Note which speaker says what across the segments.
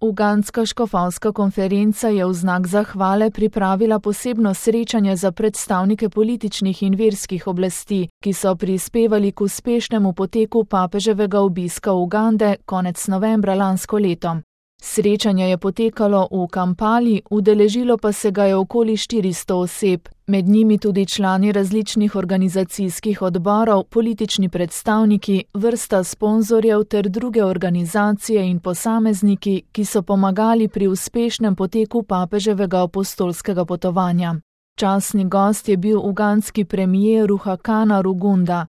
Speaker 1: Ugandska škofovska konferenca je v znak zahvale pripravila posebno srečanje za predstavnike političnih in verskih oblasti, ki so prispevali k uspešnemu poteku papeževega obiska Ugande konec novembra lansko leto. Srečanje je potekalo v Kampali, udeležilo pa se ga je okoli 400 oseb, med njimi tudi člani različnih organizacijskih odborov, politični predstavniki, vrsta sponzorjev ter druge organizacije in posamezniki, ki so pomagali pri uspešnem poteku papeževega apostolskega potovanja. Častni gost je bil ugandski premier Ruhakana Rugunda.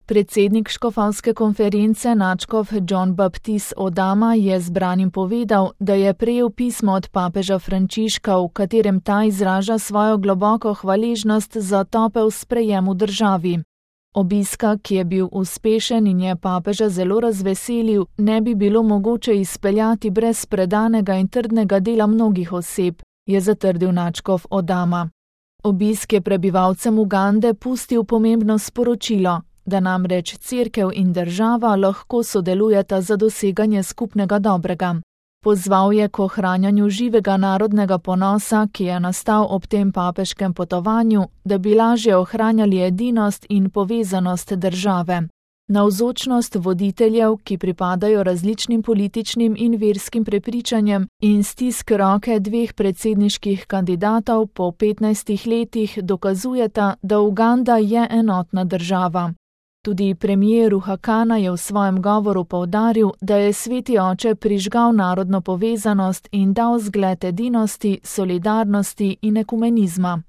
Speaker 1: Predsednik škofovske konference nadškof John Baptist Odama je zbranim povedal, da je prejel pismo od papeža Frančiška, v katerem ta izraža svojo globoko hvaležnost za topel sprejem v državi. Obiska, ki je bil uspešen in je papeža zelo razveselil, ne bi bilo mogoče izpeljati brez predanega in trdnega dela mnogih oseb, je zatrdil nadškof Odama. Obisk je prebivalcem Ugande pustil pomembno sporočilo, da namreč cerkev in država lahko sodelujeta za doseganje skupnega dobrega. Pozval je k ohranjanju živega narodnega ponosa, ki je nastal ob tem papeškem potovanju, da bi lažje ohranjali edinost in povezanost države. Navzočnost voditeljev, ki pripadajo različnim političnim in verskim prepričanjem, in stisk roke dveh predsedniških kandidatov po 15 letih dokazujeta, da Uganda je enotna država. Tudi premier Ruhakana je v svojem govoru poudaril, da je Sveti oče prižgal narodno povezanost in dal zgled edinosti, solidarnosti in ekumenizma.